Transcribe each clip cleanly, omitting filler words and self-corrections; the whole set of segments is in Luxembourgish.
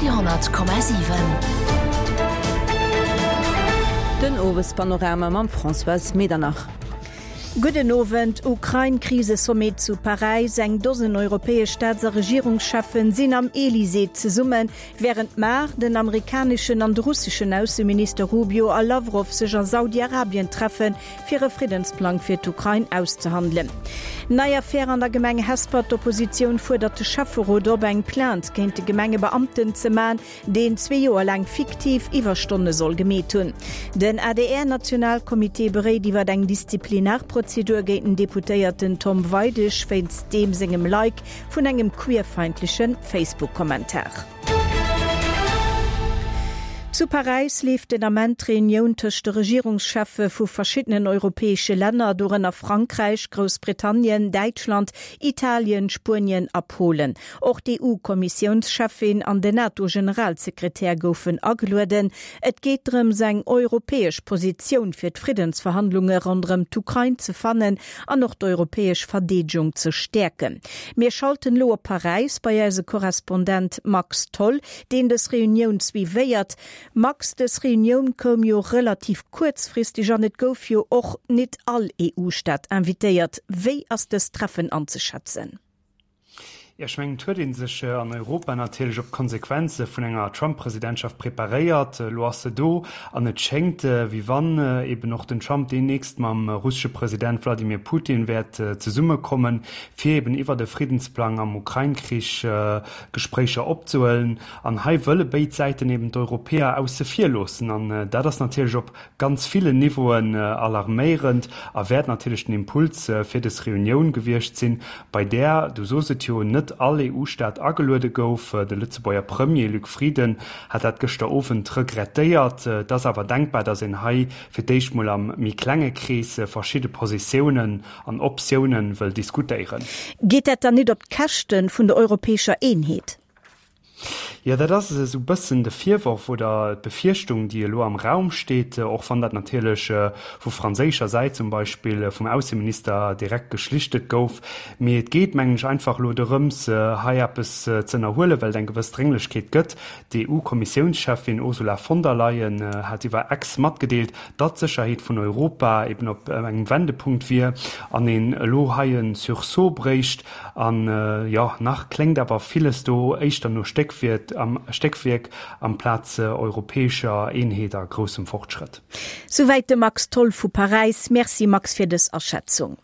Radio 10,7. Den Owespanorama mam Françoise Medernach. Gudden Owend. Ukrain-Krisesommet zu Paräis, Eng Dosen europäesch Staats a Regierungscheffen sinn am Elysée zesummen, wärend mar den amerikaneschen an de russeschen Ausseminister Rubio a Lawrow sech a Saudi-Arabien treffen, fir e Friddensplang fir d'Ukrain auszehandelen. Nei Affär an der Gemeng Hesper, D'Oppositioun fuerdert de Schäfferot op, eng Plainte géint de Gemengebeamten ze man, deen zwee Joer laang fiktiv Iwwerstonne soll gemeet hunn. Den ADR-Nationalcomité beréit iwwer eng Disziplinarprozedur géint den Deputéierten Tom Weidig wéinst deem sengem Like vun engem queerfeindleche Facebook-Kommentar. Zu Paräis leeft den Ament d'Reunioun tëscht de Regierungscheffe vu verschiddenen europäesche Länner, dorënner Frankräich, Groussbritannien, Däitschland, Italien, Spuenien a Polen. Och d'EU-Kommissiounscheffin an den NATO-Generalsekretär goufen agelueden. Et geet drëms, eng europäesch Positioun fir d'Friddensverhandlunge ronderëm d'Ukrain ze fannen an och d'europäesch Verdeedegung ze stäerken. Mir schalten elo op Paräis bei eise Korrespondent Max Tholl, deen dës Reunioun suivéiert. Max, dës Reunioun koum jo relativ kuerzfristeg an et gouf jo och nit all EU-Staat invitéiert. Wéi ass dëst Treffen anzeschätzen? Jo, ech mengen, et huet ee sech an Europa natierlech op d'Konsequenze vun enger Trump-Presidentschaft preparéiert. Elo ass se do an et schéngt, wéi wann eben och den Trump deemnächst mam russesche President Wladimir Putin wäert zesummekommen, fir eben iwwert e Friddensplang am Ukrain-Krich Gespréicher opzehuelen. An hei wëlle béid Säiten eben d'Europäer ausse vir loossen. An dat ass natierlech op ganz villen Niveauen alarméierend a wäert natierlech den Impuls fir dës Reunioun gewiescht sinn, bei där, du sos et jo, net all EU-Staat ageluede gouf. De Lëtzebuerger Premier Luc Frieden hat dat gëschter Owend regrettéiert. Et ass awer denkbar, datt een hei fir d'éischt mol am méi klenge Krees verschidde Positiounen an Optiounen wëll diskutéieren. Geet dat dann nit op d'Käschte vun der europäescher Eenheet? Jo, dat ass esou e bëssen de Virworf oder d'Befierchtung, déi elo am Raum steet, och wann dat natierlech vu franséischer Säit zum Beispill vum Ausseminister direkt geschlichtet gouf. Mee et geet, mengen ech, einfach elo dorëms, hei eppes ze ënnerhuelen, well et eng gewëss Drénglechkeet gëtt. D'EU-Kommissiounscheffin Ursula von der Leyen hat iwwer X matgedeelt, datt d'Sécherheet vun Europa eben op engem Wendepunkt wier an een elo hei e Sursaut bréicht. An jo, nach kléngt awer villes do éischter no Stéckwierk amplaz europäescher Eenheet a groussem Fortschrëtt. Souwäit de Max Tholl vu Paräis. Merci Max fir dës Aschätzung.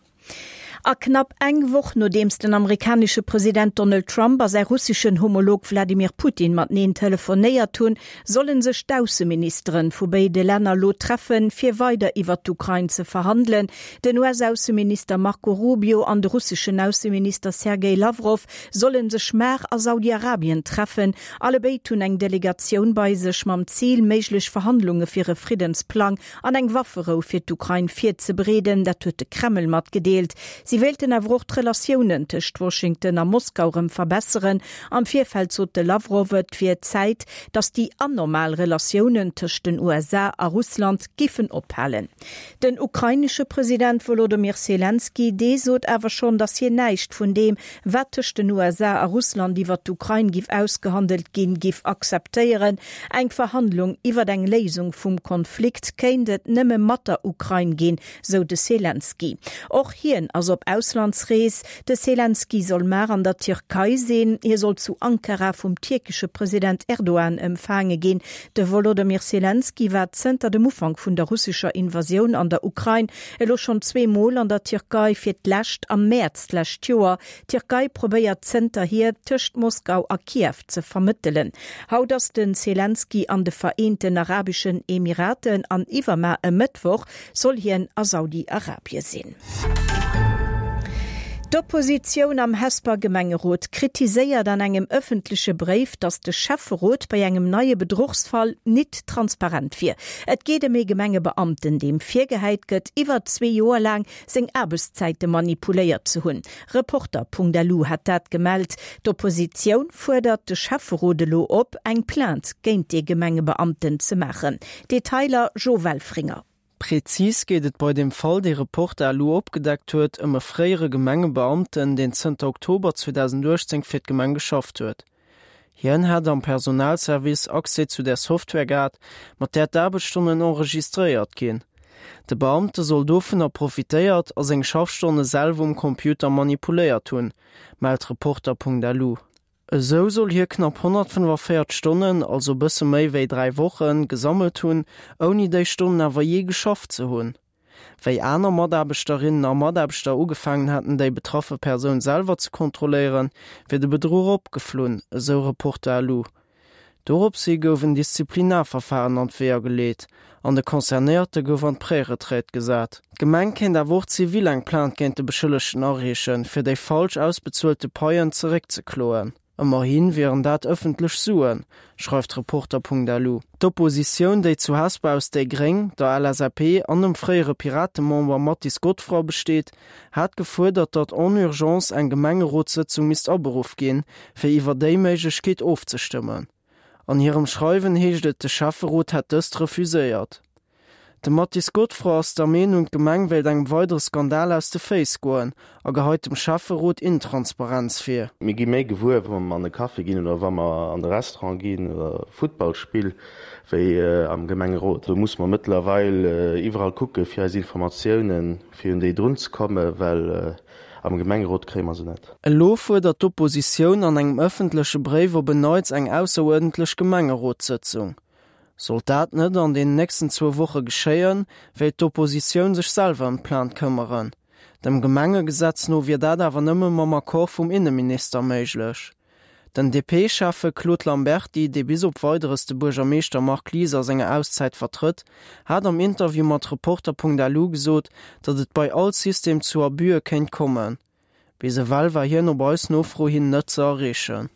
A knapp eng Woch nodeems den amerikanesche President Donald Trump a säi russeschen Homolog Wladimir Putin mateneen telefonéiert hunn, Sollen sech d'Ausseministeren vu béide Länner lo treffen, fir weider iwwert d'Ukrain ze verhandelen? Den US-Ausseminister Marco Rubio an de russeschen Ausseminister Sergej Lawrow sollen sech mar a Saudi-Arabien treffen. Allebéid hunn eng Delegatioun bei sech mam Zil, méiglech Verhandlunge fir e Friddensplang an eng Wafferou fir d'Ukrain virzebereeden. Dat huet de Kreml matgedeelt. Si wéilten awer och d'Relatiounen tëscht Washington a Moskau rëm verbesseren. Am Virfeld sot de Lawrow, et wier Zäit, datt déi anormal Relatiounen tëscht den USA a Russland giffen ophalen. Den ukrainesche President Wolodomyr Selenskyj, dee sot awer schonn, datt hien näischt vun deem, wat tëscht den USA a Russland iwwer d'Ukrain giff ausgehandelt ginn, giff akzeptéieren. Eng Verhandlung iwwer eng Léisung vum Konflikt kéint et nëmme mat der Ukrain ginn, sou de Selenskyj. Och hien ass op Auslandsrees. De Selenskyj soll mar an der Tierkei sinn. Hie soll zu Ankara vum tierkesche President Erdogan empfaange ginn. De Wolodymyr Selenskyj war zënter dem Ufank vun der russescher Invasioun an der Ukrain elo schonn zweemol an der Tierkei, fir d'lescht am Mäerz d'lescht Joer. D'Tierkei probéiert zënterhier, tëscht Moskau a Kiew ze vermëttelen. Haut ass de Selenskyj an de Vereenten Arabeschen Emiraten an iwwermar e Mëttwoch soll hien a Saudi-Arabie sinn. D'Oppositioun am Hesper Gemengerot kritiséiert an engem ëffentleche Bréif, datt de Schäfferot bei engem neie Bedruchsfall nit transparent wier. Et geet ëm ee Gemengebeamten, deem virgehäit gëtt, iwwer zwee Joer laang seng Aarbechtszäite manipuléiert ze hunn. Reporter.lu hat dat gemellt. D'Oppositioun fuerdert de Schäfferot elo op, eng Plainte géint dee Gemengebeamten ze maachen. Detailer Jo Welfringer. Prezis geet et bei deem Fall, dee Reporter elo opgedeckt huet, ëm e fréiere Gemengebeamten, deen zënter Oktober 2018 fir d'Gemeng geschafft huet. Hien hätt am Personalservice Accès zu där Software gehat, mat där d'Aarbechtsstonnen enregistréiert ginn. De Beamte soll dovunner profitéiert a seng Schaffstonne selwer um Computer manipuléiert hunn, mellt Reporter.lu. Esou soll hie knapp 145 Stonnen, also bësse méi wéi 3 Wochen, gesammelt hunn, ouni déi Stonnen awer jee geschafft ze hunn. Wéi aner Mataarbechterinnen a Mataarbechter ugefaangen hätten, déi betraffe Persoun selwer ze kontrolléieren, wier de Bedruch opgeflunn, esou Reporter.lu. Doropshi gouf en Disziplinarverfahren an d'Weeër geleet an de Concernéierte gouf an d'Préretraite gesat. D'Gemeng kéint awer och zivil eng Plainte géint de Beschëllegten areechen, fir déi falsch ausbezuelte Paien zeréckzekloen. Ëmmerhi wieren dat ëffentlech Suen, schreift Reporter.lu. D'Oppositioun, déi zu Hesper aus déi Gréng, der LSAP an dem fréiere Piratemember Mathis Godefroid besteet, hat gefuerdert, datt en urgence eng Gemengerotssëtzung misst aberuff ginn, fir iwwer déi Méiglechkeet ofzestëmmen. An hirem Schreiwen heescht et, de Schäfferot hätt dëst refuséiert. De Mathis Godefroid ass der Meenung, d'Gemeng wéilt engem weidere Skandal aus de Féiss goen a geheit dem Schäfferot Intransparenz vir. Mir gi méi gewuer, wa mer an e Café ginn oder wa mer an de Restaurant ginn oder e Futtballspill, wéi am Gemengerot. Do musse mer mëttlerweil iwwerall kucke fir eis Informatiounen fir un déi drun ze kommen, well am Gemengerot kréie mer se net. Elo fuerdert d'Oppositioun an engem ëffentleche Bréif op en Neits eng ausseruerdentlech Gemengerotssëtzung. Sollt dat net an den nächsten zwou Woche geschéien, wéilt d'Oppositioun sech selwer ëm d'Plainte këmmeren. Dem Gemengegesetz no wier dat awer nëmme mam Accord vum Inneminister méiglech. Den DP-Schäffe Claude Lamberty, dee bis op Weideres de Buergermeeschter Marc Lies a senger Auszäit vertrëtt, hat am Interview mat Reporter.lu gesot, datt et bei all System zu Abüe kéint kommen. Bis ewell war hien op eis Nofro hin net ze erreechen.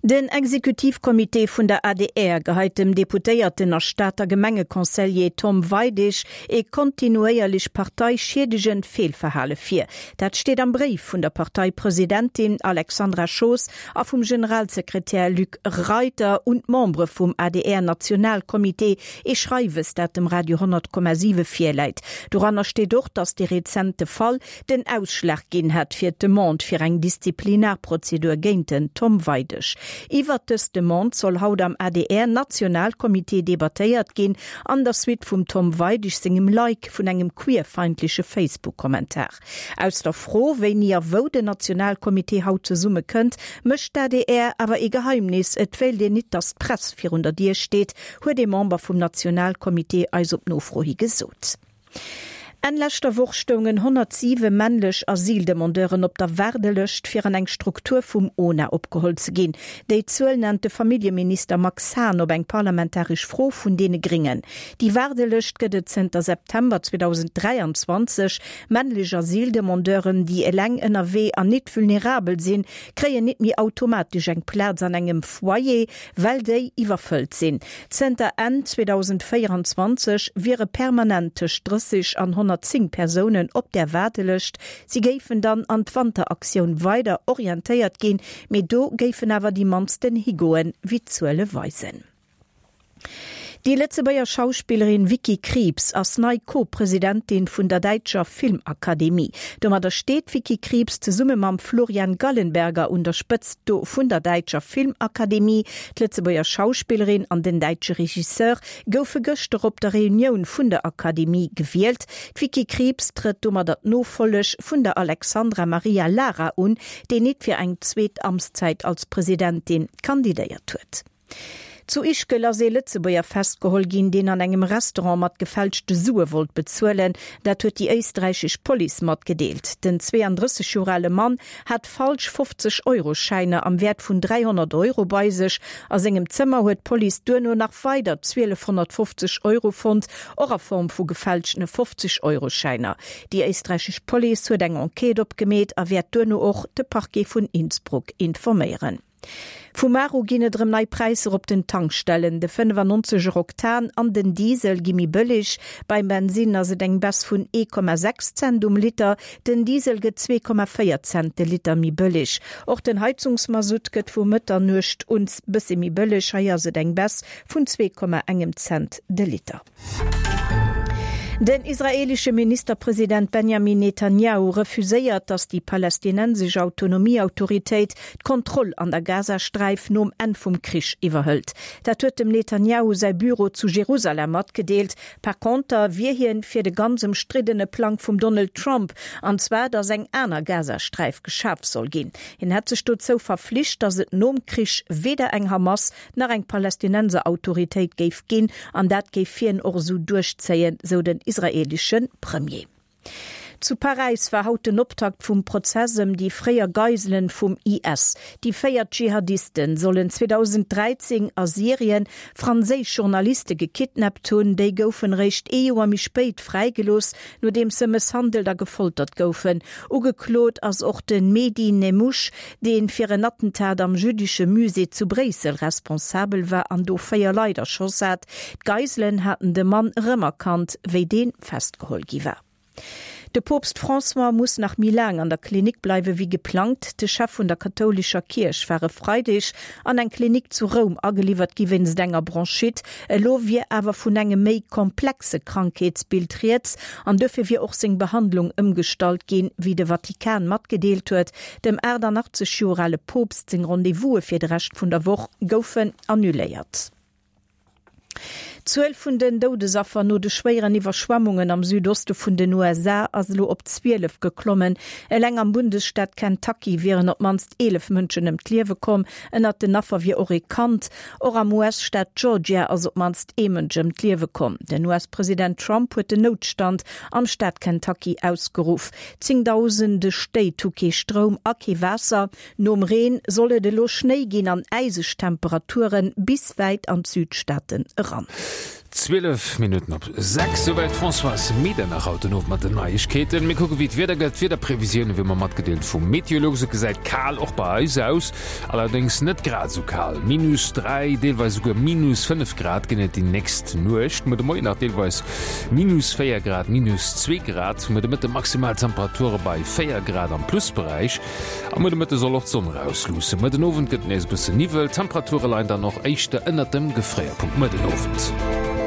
Den Exekutivcomité vun der adr geheit dem Deputéierten a Stater Gemengeconseiller Tom Weidig ee kontinuéierlech parteischiedegend Feelverhale vir. Dat steet am Bréif vun der Parteipresidentin Alexandra Schoos a vum Generalsekretär Luc Reiter un d'Membere vum ADR-Nationalcomité, ee Schreiwes, dat dem Radio 100,7 virläit. Doranner steet och, datt dee rezente Fall den Ausschlag ginn hätt fir d'Demande fir eng Disziplinarprozedur géint den Tom Weidig. Iwwert dës Demande soll haut am ADR-Nationalcomité debattéiert ginn, an der Suite vum Tom Weidig sengem Like vun engem queerfeindleche Facebook-Kommentar. Aus der Fro, wéini a wou den Nationalcomité haut zesumme kënnt, mécht d'ADR awer ee Geheimnis, Et wéilt een nit, datt d'Press virun der Dier steet, huet ee Member vum Nationalcomité eis op Nofro hi gesot. Enn leschter Woch stoungen 107 männlech Asyldemandeuren op der Waardelëscht, fir an eng Struktur vum ona opgeholl ze ginn. Déi Zuel nennt de Familljeminister Max Hahn op eng parlamentaresch Fro vun deene Gréngen. Déi Waardelëscht gëtt et zënter September 2023. Männlech Asyldemandeuren, déi eleng ënnerwee an nit vulnerabel sinn, kréien nit méi automatesch eng Plaz an engem Foyer, well déi iwwerfëllt sinn. Zënter Enn 2024 wiere permanent tëscht 30 an 110 Persounen op där Waardelëscht. Si géifen dann an d'Wanteraktioun weider orientéiert ginn, mee do géifen awer déi mannsten higoen, wéi d'Zuele weisen. Déi Lëtzebuerger Schauspillerin Vicky Krieps ass nei Co-Presidentin vun der däitscher Filmakademie. Domadder steet d'Vicky Krieps zesumme mam Florian Gallenberger un der Spëtzt vun der däitscher Filmakademie. D'Lëtzebuerger Schauspillerin an den däitsche Regisseur goufe gëschter op der Reunioun vun der Akademie gewielt. D'Vicky Krieps trëtt domadder d'Nofolleg vun der Alexandra Maria Lara un, déi nit fir eng zweet Amtszäit als Presidentin kandidéiert huet. Zu Ischgl ass ee Lëtzebuerger festgeholl ginn, deen an engem Restaurant mat gefälschte Sue wollt bezuelen. Dat huet déi éisträichesch Police matgedeelt. Den 32 Joer ale Mann hat falsch 50 Euro Schäiner am Wäert vun 300 Euro bei sech. A sengem Zëmmer huet d'Police duerno nach weider 1.250 Euro fonnt, och a Form vu gefälschtene 50 Euro Schäiner. Déi éisträichesch Police huet eng Enquête opgemeet a wäert duerno och de Parquet vun Innsbruck informéieren. Vu mar u ginn et erëm nei Präisser op den Tankstellen. De 95 er Oktan an den Diesel gi méi bëlleg. Beim Bensinn ass et eng Baisse vun 1,6 Cent um Liter. Den Diesel gëtt 2,4 Cent de Liter méi bëlleg. Och den Heizungsmasutt gëtt vu Mëtternuecht un bësse méi bëlleg. Hei ass et eng Baisse vun 2,1 Cent de Liter. Den israeelesche Ministerpresident Benjamin Netanjahu refuséiert, datt déi palästinensesch Autonomieautoritéit d'Kontroll an der Gazasträif nom Enn vum Krich iwwerhëlt. Dat huet dem Netanjahu säi Büro zu Jerusalem matgedeelt. Par conter wier hien fir de ganz ëmstriddene Plang vum Donald Trump, an zwar datt eng aner Gazasträif geschaf soll ginn. Hien hätt sech dozou verflicht, datt et nom Krich weder eng Hamas nach eng Palästinenserautoritéit géif ginn, an dat géif hien och esou duerchzéien, sou den israeelesche Premier. Zu Paräis war haut den Optakt vum Prozess ëm déi fréier Geiselen vum IS. Déi 4 Dschihadisten sollen 2013 a Syrien franséisch Journaliste gekidnappt hunn. Déi goufen eréischt ee Joer méi spéit fräigelooss, nodeems se mësshandelt a gefoltert goufen. Ugeklot ass och de Mehdi Nemmouche, dee fir en Attentat am jüddesche Musée zu Bréissel responsabel war an do 4 Leit erschoss hat. D'Geiselen haten de Mann erëmerkannt, wéi dee festgeholl gi war. De Poopst François muss nach méi laang an der Klinik bleiwe wéi geplangt. De Chef vun der kathoulescher Kierch war e Freideg an eng Klinik zu Roum ageliwwert gi wéinst enger Bronchite. Elo wier awer vun engem méi komplexe Krankheetsbild rieds an dofir wier och seng Behandlung ëmgestallt ginn, wéi de Vatikan matgedeelt huet. Dem 88 Joer ale Poopst seng Rendez-vouse fir de Rescht vun der Woch goufen annuléiert. D'Zuel vun den Doudesaffer no de schwéieren Iwwerschwemmungen am Südoste vun den USA ass elo op 12 geklommen. Eleng am Bundesstaat Kentucky wieren op d'mannst 11 Mënschen ëm d'Liewe komm. Ënnert den Affer wier och ee Kand. Och am US-Staat Georgia ass op d'mannst ee Mënsch ëm d'Liewe komm. Den US-President Trump huet den Noutstand am Staat Kentucky ausgeruff. Zéngdausende Stéit hu kee Stroum a kee Waasser. Nom Reen soll et elo Schnéi ginn an äiseg Temperature bis wäit an d'Südstaaten eran. 12 Minutten op 6, souwäit d'Françoise Medernach haut den Owend mat den Neiegkeeten. Mir kucke wéi d'Wieder gëtt. D'Wiederprevisiounen wéi ëmmer matgedeelt vum Meteolux. Et gesäit kal och bei eis aus, allerdéngs net grad esou kal. Minus 3, deelweis esouguer minus 5 Grad ginn et déi nächst Nuecht. Muer de Moien nach deelweis Minus 4 Grad, minus 2 Grad, muer de Mëtte maximal Temperature bei 4 Grad am Plusberäich. A muer de Mëtte soll och d'Sonn erausluussen. Muer den Owend gëtt et nees e bësse Niwwel, d'Temperature leien dann och éischter ënnert dem Gefréierpunkt muer den Owend.